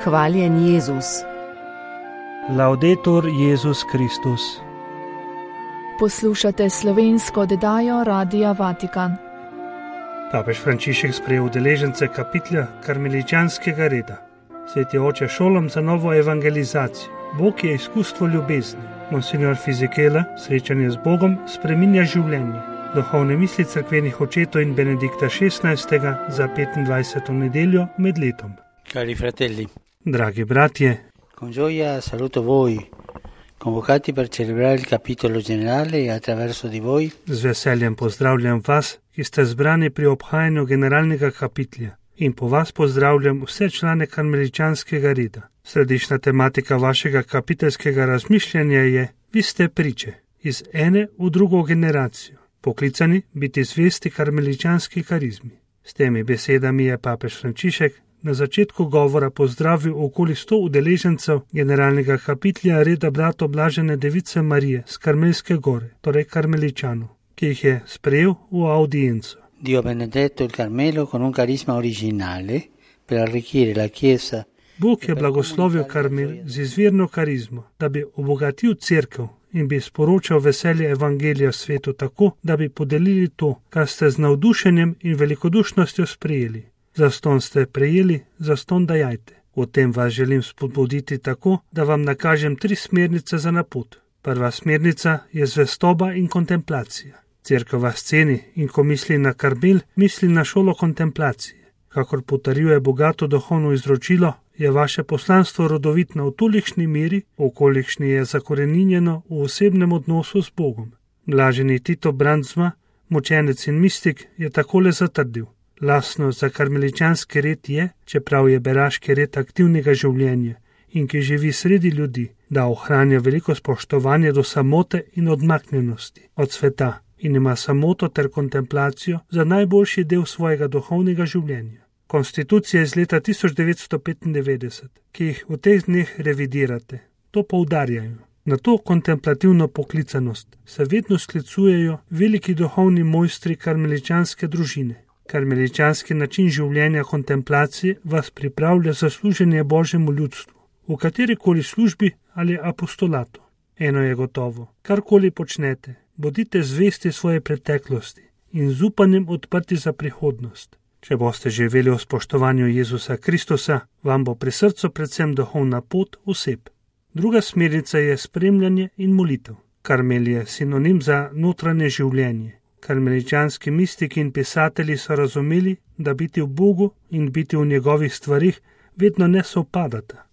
Hvaljen Jezus. Laudetur Jezus Kristus. Poslušate slovensko oddajo Radia Vatikan. Papež Frančišek sprejel udeležence kapitelja karmeličanskega reda. Sveti oče šolam za novo evangelizacijo. Bog je izkustvo ljubezni. Monsignor Fizikela, srečanje z Bogom, spreminja življenje. Duhovne misli cerkvenih očetov in Benedikta XVI. Za 25. nedeljo med letom. Cari fratelli, Dragi bratje, con gioia saluto voi, convocati per celebrare il capitolo generale e attraverso di voi z veseljem pozdravljam vas, ki ste zbrani pri obhajanju generalnega kapitelja, in po vas pozdravljam vse člane karmeličanskega reda. Središčna tematika vašega kapiteljskega razmišljanja je: vi ste priče iz ene v drugo generacijo, poklicani biti zvesti karmeličanski karizmi. S temi besedami je papež Frančišek na začetku govora pozdravil okoli 100 udeležencev generalnega kapitelja reda bratov Blažene Device Marije z Karmelske gore, torej karmeličanov, ki jih je sprejel v audienco. Dio ha benedetto il Carmelo con un carisma originale per arricchire la Chiesa. Bog je blagoslovil Karmel z izvirno karizmo, da bi obogatil cerkev in bi sporočal veselje evangelija svetu tako, da bi podelili to, kar ste z navdušenjem in velikodušnostjo sprejeli. Zastonj ste prejeli, zastonj dajajte. O tem vas želim spodbuditi tako, da vam nakažem 3 smernice za na pot. Prva smernica je zvestoba in kontemplacija. Cerkev vas ceni in ko misli na Karmel, misli na šolo kontemplacije. Kakor potrjuje bogato duhovno izročilo, je vaše poslanstvo rodovitno v tolikšni meri, v kolikšni je zakoreninjeno v osebnem odnosu s Bogom. Blaženi Tito Brandsma, mučenec in mistik, je takole zatrdil: lastno za karmeličanski red je, čeprav je beraški red aktivnega življenja in ki živi sredi ljudi, da ohranja veliko spoštovanje do samote in odmaknjenosti od sveta in ima samoto ter kontemplacijo za najboljši del svojega duhovnega življenja. Konstitucija iz leta 1995, ki jih v teh dneh revidirate, to poudarjajo. Na to kontemplativno poklicanost se vedno sklicujejo veliki duhovni mojstri karmeličanske družine. Karmeličanski način življenja kontemplacije vas pripravlja za služenje Božjemu ljudstvu, v katerikoli službi ali apostolatu. Eno je gotovo, karkoli počnete, bodite zvesti svoje preteklosti in z upanjem odprti za prihodnost. Če boste živeli v spoštovanju Jezusa Kristusa, vam bo pri srcu predvsem duhovna pot oseb. Druga smernica je spremljanje in molitev. Karmel je sinonim za notranje življenje. Karmeličanski mistiki in pisatelji so razumeli, da biti v Bogu in biti v njegovih stvarih vedno ne sovpadata.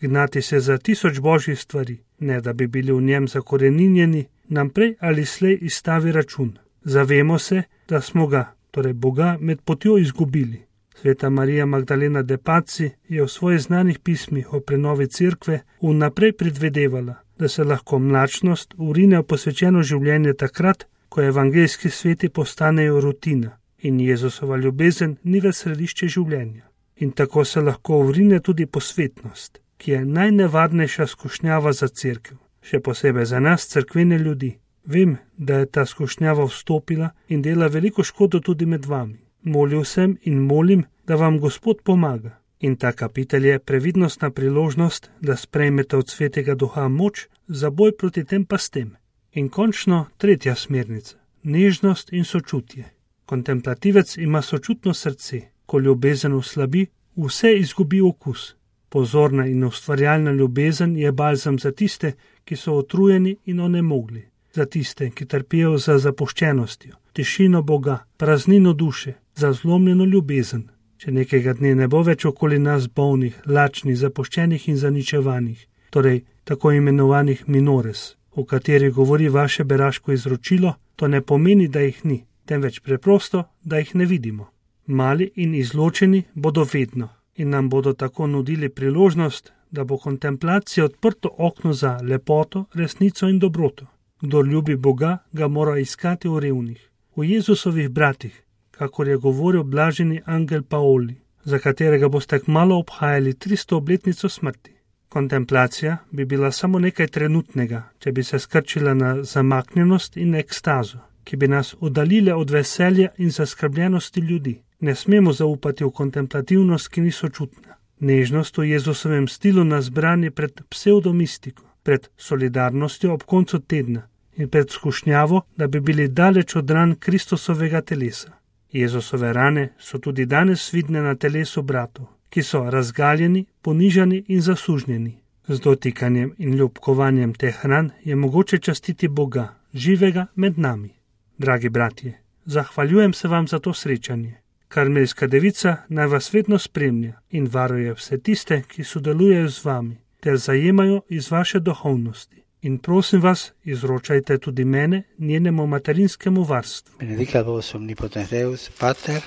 Gnati se za 1000 božjih stvari, ne da bi bili v njem zakoreninjeni, nam prej ali slej izstavi račun. Zavemo se, da smo ga, torej Boga, med potjo izgubili. Sveta Marija Magdalena de Pazzi je v svojih znanih pismih o prenovi cerkve vnaprej predvedevala, da se lahko mlačnost vrine v posvečeno življenje takrat, ko evangeljski sveti postanejo rutina in Jezusova ljubezen ni več središče življenja. In tako se lahko vrine tudi posvetnost, ki je najnevarnejša skušnjava za cerkev, še posebej za nas, cerkvene ljudi. Vem, da je ta skušnjava vstopila in dela veliko škodo tudi med vami. Molil sem in molim, da vam Gospod pomaga. In ta kapitelj je previdnostna priložnost, da sprejmete od Svetega Duha moč za boj proti tem pastem. In končno tretja smernica, nežnost in sočutje. Kontemplativec ima sočutno srce, ko ljubezen oslabi, vse izgubi okus. Pozorna in ustvarjalna ljubezen je balzam za tiste, ki so utrujeni in onemogli, za tiste, ki trpijo za zapuščenostjo, tišino Boga, praznino duše, za zlomljeno ljubezen. Če nekega dne ne bo več okoli nas bolnih, lačnih, zapuščenih in zaničevanih, torej tako imenovanih minores, o kateri govori vaše beraško izročilo, to ne pomeni, da jih ni, temveč preprosto, da jih ne vidimo. Mali in izločeni bodo vedno in nam bodo tako nudili priložnost, da bo kontemplacija odprto okno za lepoto, resnico in dobroto. Kdor ljubi Boga, ga mora iskati v revnih, v Jezusovih bratih, kakor je govoril blaženi angel Paoli, za katerega boste kmalu obhajali 300 obletnico smrti. Kontemplacija bi bila samo nekaj trenutnega, če bi se skrčila na zamaknjenost in ekstazo, ki bi nas oddaljile od veselja in zaskrbljenosti ljudi. Ne smemo zaupati v kontemplativnost, ki ni sočutna. Nežnost v Jezusovem stilu nas brani pred psevdomistiko, pred solidarnostjo ob koncu tedna in pred skušnjavo, da bi bili daleč od ran Kristusovega telesa. Jezusove rane so tudi danes vidne na telesu bratov, ki so razgaljeni, ponižani in zasužnjeni. Z dotikanjem in ljubkovanjem teh ran je mogoče častiti Boga, živega med nami. Dragi bratje, zahvaljujem se vam za to srečanje. Karmelska devica naj vas vedno spremlja in varuje vse tiste, ki sodelujejo z vami, ter zajemajo iz vaše duhovnosti. In prosim vas, izročajte tudi mene njenemu materinskemu varstvu. Benedicat vos omnipotens Deus, Pater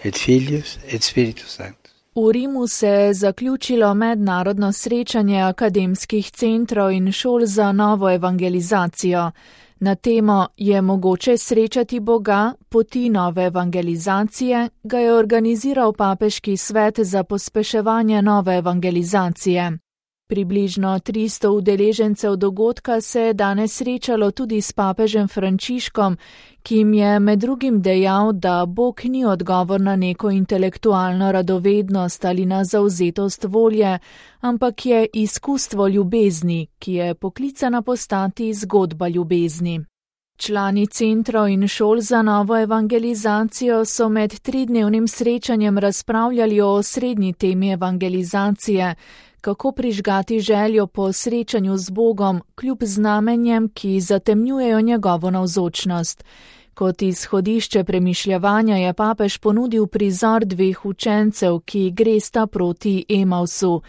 et Filius et Spiritus Sanctus. V Rimu se je zaključilo mednarodno srečanje akademskih centrov in šol za novo evangelizacijo. Na temo Je mogoče srečati Boga, poti nove evangelizacije ga je organiziral Papeški svet za pospeševanje nove evangelizacije. Približno 300 udeležencev dogodka se je danes srečalo tudi s papežem Frančiškom, ki jim je med drugim dejal, da Bog ni odgovor na neko intelektualno radovednost ali na zavzetost volje, ampak je izkustvo ljubezni, ki je poklicana postati zgodba ljubezni. Člani centrov in šol za novo evangelizacijo so med 3-dnevnim srečanjem razpravljali o osrednji temi evangelizacije, kako prižgati željo po srečanju z Bogom, kljub znamenjem, ki zatemnjujejo njegovo navzočnost. Kot izhodišče premišljevanja je papež ponudil prizor 2 učencev, ki gresta proti Emausu.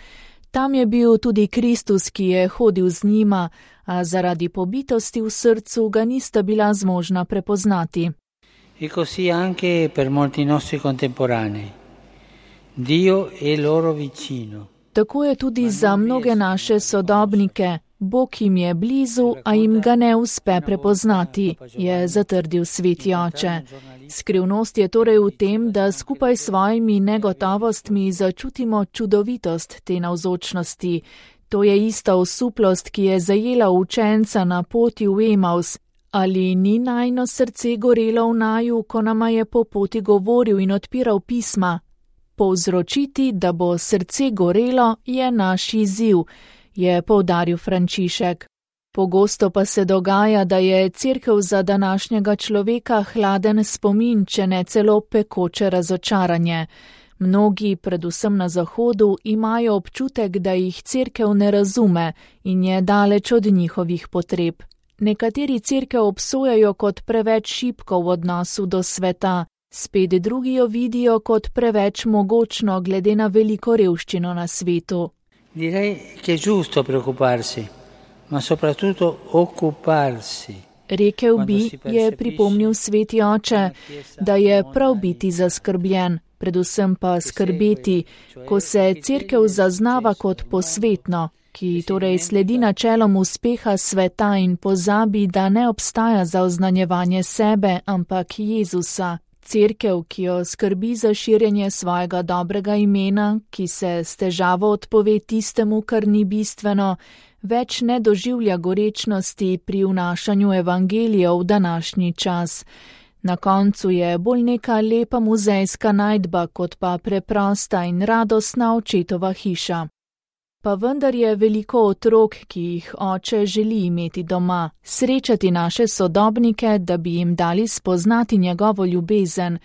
Tam je bil tudi Kristus, ki je hodil z njima, a zaradi pobitosti v srcu ga nista bila zmožna prepoznati. E così anche per molti nostri contemporanei. Dio è loro vicino. Tako je tudi za mnoge naše sodobnike. Bog jim je blizu, a jim ga ne uspe prepoznati, je zatrdil sveti oče. Skrivnost je torej v tem, da skupaj s svojimi negotovostmi začutimo čudovitost te navzočnosti. To je ista osuplost, ki je zajela učenca na poti v Emaus. Ali ni najino srce gorelo v naju, ko nama je po poti govoril in odpiral pisma? Povzročiti, da bo srce gorelo, je naš izziv, je poudaril Frančišek. Pogosto pa se dogaja, da je cerkev za današnjega človeka hladen spomin, če ne celo pekoče razočaranje. Mnogi, predvsem na Zahodu, imajo občutek, da jih cerkev ne razume in je daleč od njihovih potreb. Nekateri cerkev obsojajo kot preveč šibko v odnosu do sveta, spet drugi jo vidijo kot preveč mogočno glede na veliko revščino na svetu. Direi che è giusto preoccuparsi, ma soprattutto occuparsi. Rekel bi, je pripomnil sveti oče, da je prav biti zaskrbljen, predvsem pa skrbeti, ko se cerkev zaznava kot posvetno, ki torej sledi načelom uspeha sveta in pozabi, da ne obstaja za oznanjevanje sebe, ampak Jezusa. Cerkev, ki jo skrbi za širjenje svojega dobrega imena, ki se s težavo odpove tistemu, kar ni bistveno, več ne doživlja gorečnosti pri vnašanju evangelija v današnji čas. Na koncu je bolj neka lepa muzejska najdba, kot pa preprosta in radostna očetova hiša. Pa vendar je veliko otrok, ki jih oče želi imeti doma, srečati naše sodobnike, da bi jim dali spoznati njegovo ljubezen,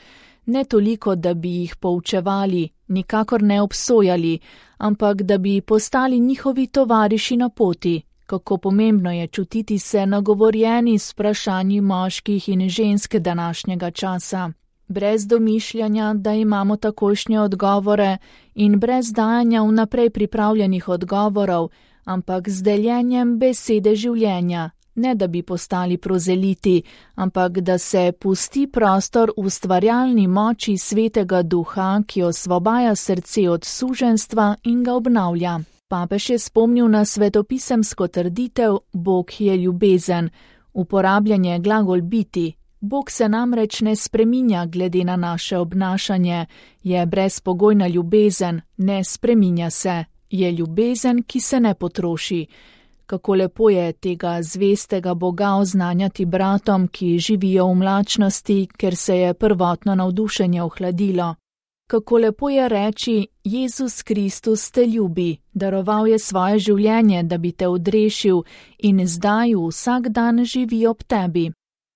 ne toliko, da bi jih poučevali, nikakor ne obsojali, ampak da bi postali njihovi tovariši na poti. Kako pomembno je čutiti se nagovorjeni s vprašanji moških in žensk današnjega časa. Brez domišljanja, da imamo takošnje odgovore in brez dajanja vnaprej pripravljenih odgovorov, ampak z deljenjem besede življenja, ne da bi postali prozeliti, ampak da se pusti prostor ustvarjalni moči svetega duha, ki osvobaja srce od suženjstva in ga obnavlja. Papež je spomnil na svetopisemsko trditev Bog je ljubezen, uporabljanje glagol biti. Bog se namreč ne spreminja glede na naše obnašanje, je brezpogojna ljubezen, ne spreminja se, je ljubezen, ki se ne potroši. Kako lepo je tega zvestega Boga oznanjati bratom, ki živijo v mlačnosti, ker se je prvotno navdušenje ohladilo. Kako lepo je reči, Jezus Kristus te ljubi, daroval je svoje življenje, da bi te odrešil in zdaj vsak dan živi ob tebi.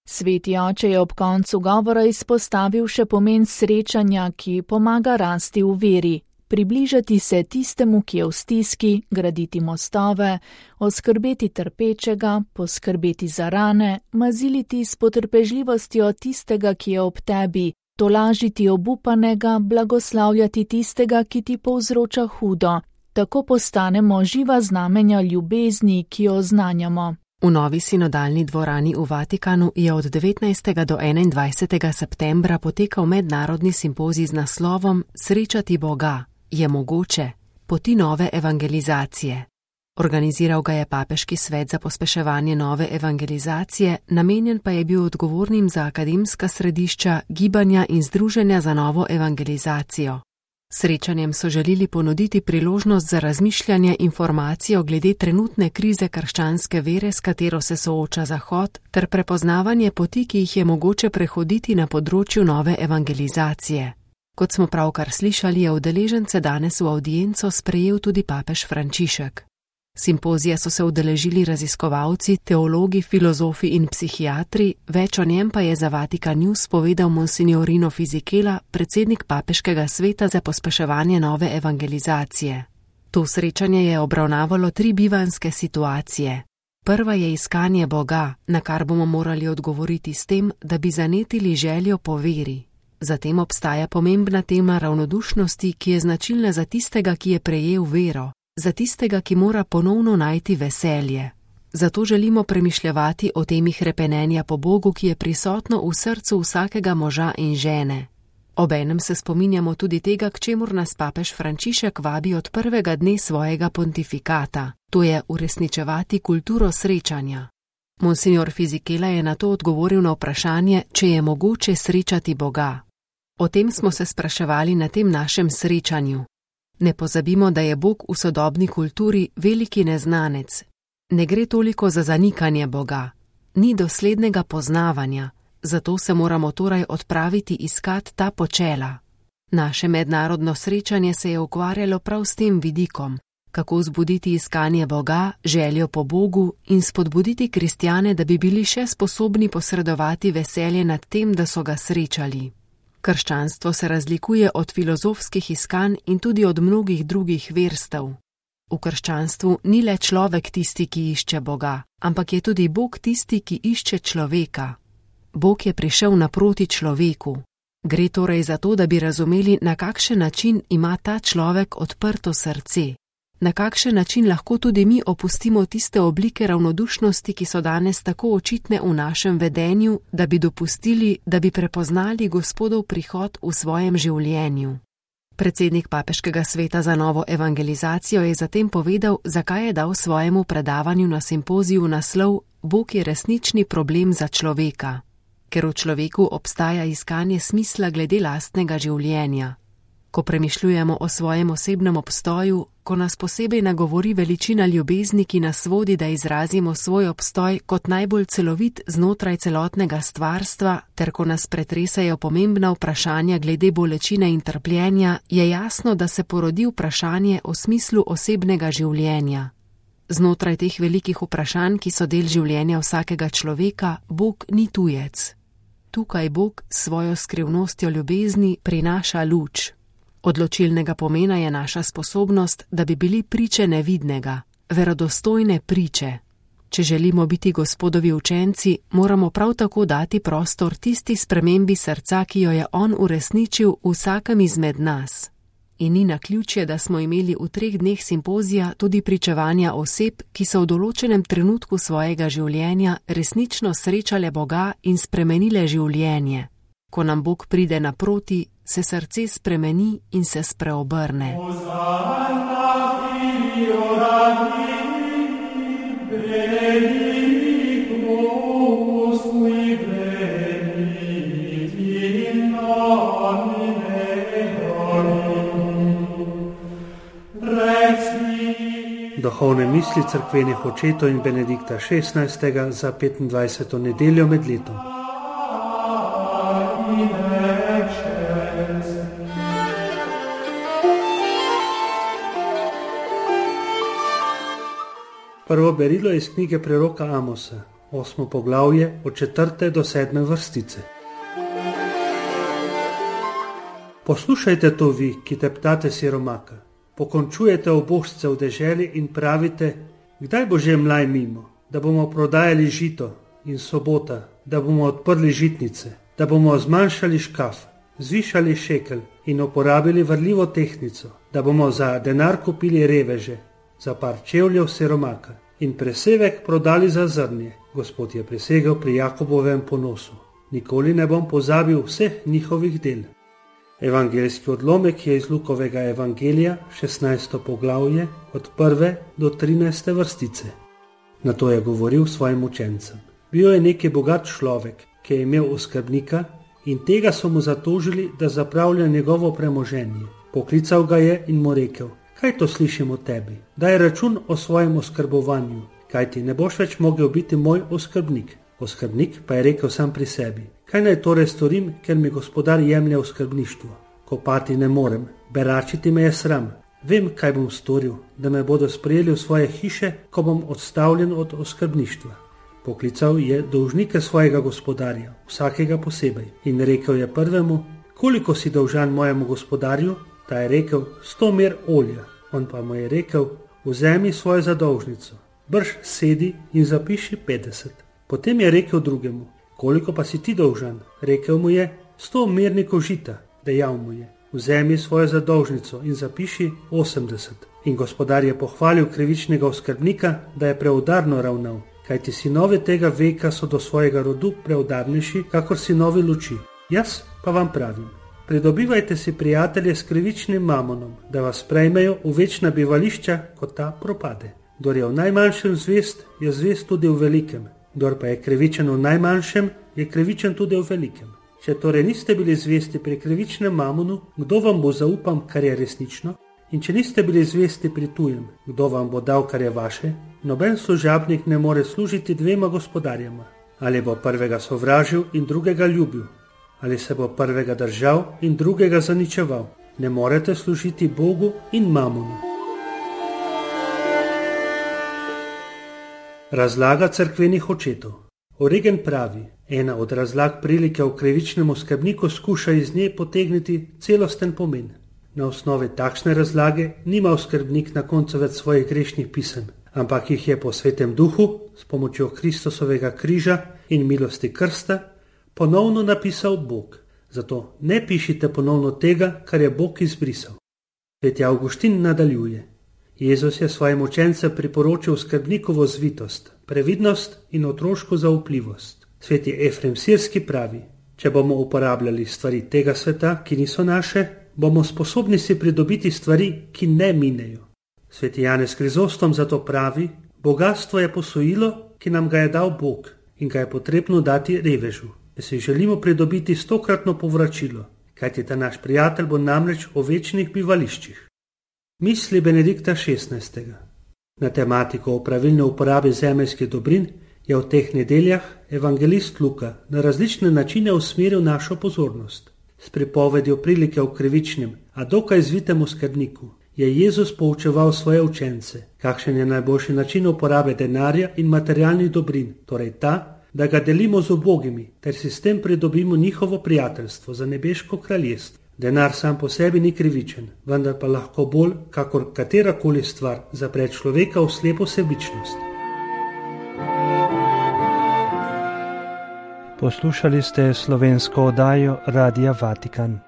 Sveti oče je ob koncu govora izpostavil še pomen srečanja, ki pomaga rasti v veri, približati se tistemu, ki je v stiski, graditi mostove, oskrbeti trpečega, poskrbeti za rane, maziliti s potrpežljivostjo tistega, ki je ob tebi, tolažiti obupanega, blagoslavljati tistega, ki ti povzroča hudo. Tako postanemo živa znamenja ljubezni, ki jo oznanjamo. V novi sinodalni dvorani v Vatikanu je od 19. do 21. septembra potekal mednarodni simpozij z naslovom Srečati Boga je mogoče, poti nove evangelizacije. Organiziral ga je Papeški svet za pospeševanje nove evangelizacije, namenjen pa je bil odgovornim za akademska središča, gibanja in združenja za novo evangelizacijo. Srečanjem so želeli ponuditi priložnost za razmišljanje informacijo glede trenutne krize krščanske vere, s katero se sooča Zahod, ter prepoznavanje poti, ki jih je mogoče prehoditi na področju nove evangelizacije. Kot smo pravkar slišali, je udeležence danes v avdienco sprejel tudi papež Frančišek. Simpozija so se udeležili raziskovalci, teologi, filozofi in psihiatri, več o njem pa je za Vatikan News povedal Monsignor Fisichella, predsednik Papeškega sveta za pospeševanje nove evangelizacije. To srečanje je obravnavalo 3 bivanjske situacije. Prva je iskanje Boga, na kar bomo morali odgovoriti s tem, da bi zanetili željo po veri. Zatem obstaja pomembna tema ravnodušnosti, ki je značilna za tistega, ki je prejel vero. Za tistega, ki mora ponovno najti veselje. Zato želimo premišljevati o temi hrepenenja po Bogu, ki je prisotno v srcu vsakega moža in žene. Obenem se spominjamo tudi tega, k čemur nas papež Frančišek vabi od prvega dne svojega pontifikata, to je uresničevati kulturo srečanja. Monsignor Fisichella je na to odgovoril na vprašanje, če je mogoče srečati Boga. O tem smo se spraševali na tem našem srečanju. Ne pozabimo, da je Bog v sodobni kulturi veliki neznanec. Ne gre toliko za zanikanje Boga. Ni doslednega poznavanja, zato se moramo torej odpraviti iskat ta počela. Naše mednarodno srečanje se je ukvarjalo prav s tem vidikom, kako vzbuditi iskanje Boga, željo po Bogu in spodbuditi kristjane, da bi bili še sposobni posredovati veselje nad tem, da so ga srečali. Krščanstvo se razlikuje od filozofskih iskanj in tudi od mnogih drugih verstev. V krščanstvu ni le človek tisti, ki išče Boga, ampak je tudi Bog tisti, ki išče človeka. Bog je prišel naproti človeku. Gre torej za to, da bi razumeli, na kakšen način ima ta človek odprto srce. Na kakšen način lahko tudi mi opustimo tiste oblike ravnodušnosti, ki so danes tako očitne v našem vedenju, da bi dopustili, da bi prepoznali Gospodov prihod v svojem življenju. Predsednik Papeškega sveta za novo evangelizacijo je zatem povedal, zakaj je dal svojemu predavanju na simpoziju naslov Bog je resnični problem za človeka. Ker v človeku obstaja iskanje smisla glede lastnega življenja. Ko premišljujemo o svojem osebnem obstoju, ko nas posebej nagovori veličina ljubezni, ki nas vodi, da izrazimo svoj obstoj kot najbolj celovit znotraj celotnega stvarstva, ter ko nas pretresajo pomembna vprašanja glede bolečine in trpljenja, je jasno, da se porodi vprašanje o smislu osebnega življenja. Znotraj teh velikih vprašanj, ki so del življenja vsakega človeka, Bog ni tujec. Tukaj Bog s svojo skrivnostjo ljubezni prinaša luč. Odločilnega pomena je naša sposobnost, da bi bili priče nevidnega, verodostojne priče. Če želimo biti Gospodovi učenci, moramo prav tako dati prostor tisti spremembi srca, ki jo je on uresničil v vsakem izmed nas. In ni naključje, da smo imeli v 3 dneh simpozija tudi pričevanja oseb, ki so v določenem trenutku svojega življenja resnično srečale Boga in spremenile življenje. Ko nam Bog pride naproti, se srce spremeni in se spreobrne. Duhovne misli cerkvenih očetov in Benedikta XVI. Za 25. nedeljo med letom. Prvo berilo iz knjige preroka Amosa, 8. poglavje od 4. do 7. vrstice. Poslušajte to vi, ki teptate siromaka, pokončujete ubožce v deželi in pravite, kdaj bo že mlaj mimo, da bomo prodajali žito in sobota, da bomo odprli žitnice, da bomo zmanjšali škaf, zvišali šekel in uporabili vrljivo tehnico, da bomo za denar kupili reveže, za par čevljev siromaka in presevek prodali za zrnje. Gospod je prisegel pri Jakobovem ponosu. Nikoli ne bom pozabil vseh njihovih del. Evangeljski odlomek je iz Lukovega evangelija, 16. poglavje, od 1. do 13. vrstice. Nato je govoril svojim učencem. Bil je neki bogat človek, ki je imel oskrbnika in tega so mu zatožili, da zapravlja njegovo premoženje. Poklical ga je in mu rekel, kaj to slišim o tebi? Daj račun o svojem oskrbovanju, kaj ti ne boš več mogel biti moj oskrbnik. Oskrbnik pa je rekel sam pri sebi, kaj naj torej storim, ker mi gospodar jemlje oskrbništvo? Kopati ne morem, beračiti me je sram. Vem, kaj bom storil, da me bodo sprejeli v svoje hiše, ko bom odstavljen od oskrbništva. Poklical je dolžnike svojega gospodarja, vsakega posebej, in rekel je prvemu, koliko si dolžan mojemu gospodarju? Ta je rekel, 100 mer olja. On pa mu je rekel, vzemi svojo zadolžnico, brž sedi in zapiši 50. Potem je rekel drugemu, koliko pa si ti dolžan? Rekel mu je, 100 mernikov žita. Dejal mu je, vzemi svojo zadolžnico in zapiši 80. In gospodar je pohvalil krivičnega oskrbnika, da je preudarno ravnal, kajti sinovi tega veka so do svojega rodu preudarnejši, kakor sinovi luči. Jaz pa vam pravim, pridobivajte si prijatelje s krivičnim mamonom, da vas sprejmejo v večna bivališča, ko ta propade. Kdor je v najmanjšem zvest, je zvest tudi v velikem. Kdor pa je krivičen v najmanjšem, je krivičen tudi v velikem. Če torej niste bili zvesti pri krivičnem mamonu, kdo vam bo zaupal, kar je resnično? In če niste bili zvesti pri tujem, kdo vam bo dal, kar je vaše? Noben služabnik ne more služiti dvema gospodarjema. Ali bo prvega sovražil in drugega ljubil? Ali se bo prvega držal in drugega zaničeval? Ne morete služiti Bogu in mamonu. Razlaga cerkvenih očetov. Origen pravi, ena od razlag prilike o krivičnem oskrbniku skuša iz nje potegniti celosten pomen. Na osnovi takšne razlage nima oskrbnik na koncu več svojih grešnih pisem, ampak jih je po svetem duhu, s pomočjo Kristusovega križa in milosti krsta, ponovno napisal Bog. Zato ne pišite ponovno tega, kar je Bog izbrisal. Sveti Avguštin nadaljuje. Jezus je svojim učencem priporočil skrbnikovo zvitost, previdnost in otroško zaupljivost. Sveti Efrem Sirski pravi, če bomo uporabljali stvari tega sveta, ki niso naše, bomo sposobni si pridobiti stvari, ki ne minejo. Sveti Janez Krizostom zato pravi, bogatstvo je posojilo, ki nam ga je dal Bog in ga je potrebno dati revežu, da si želimo pridobiti 100-kratno povračilo, kajti ta naš prijatelj bo namreč v večnih bivališčih. Misli Benedikta XVI. Na tematiko o pravilne uporabi zemeljskih dobrin je v teh nedeljah evangelist Luka na različne načine usmeril našo pozornost. S pripovedjo prilike o krivičnem, a dokaj zvitem oskrbniku, je Jezus poučeval svoje učence, kakšen je najboljši način uporabe denarja in materialnih dobrin, torej ta, da ga delimo z ubogimi, ter si s tem pridobimo njihovo prijateljstvo za nebeško kraljestvo. Denar sam po sebi ni krivičen, vendar pa lahko bolj, kakor katerakoli stvar, zapre človeka v slepo sebičnost. Poslušali ste slovensko oddajo Radia Vatikan.